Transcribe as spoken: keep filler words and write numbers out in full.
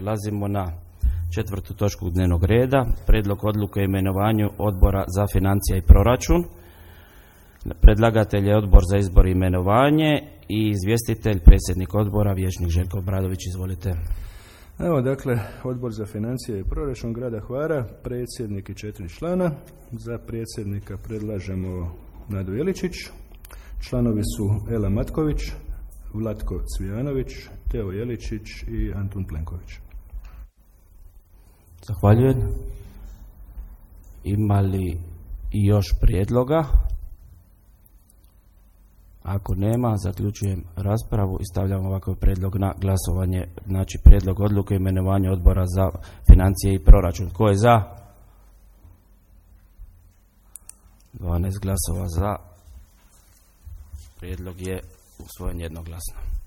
Prelazimo na četvrtu točku dnevnog reda, prijedlog odluke o imenovanju Odbora za financije i proračun. Predlagatelj je Odbor za izbor i imenovanje i izvjestitelj predsjednik odbora vijećnik Željko Obradović. Izvolite. Evo dakle, Odbor za financije i proračun grada Hvara, predsjednik i četiri člana. Za predsjednika predlažemo Nadu Jeličić. Članovi su Ela Matković, Vlatko Cvijanović, Teo Jeličić i Antun Plenković. Zahvaljujem. Ima li još prijedloga? Ako nema, zaključujem raspravu i stavljam ovakav prijedlog na glasovanje. Znači, prijedlog odluke o imenovanju Odbora za financije i proračun. Tko je za? dvanaest glasova za. Prijedlog je usvojen jednoglasno.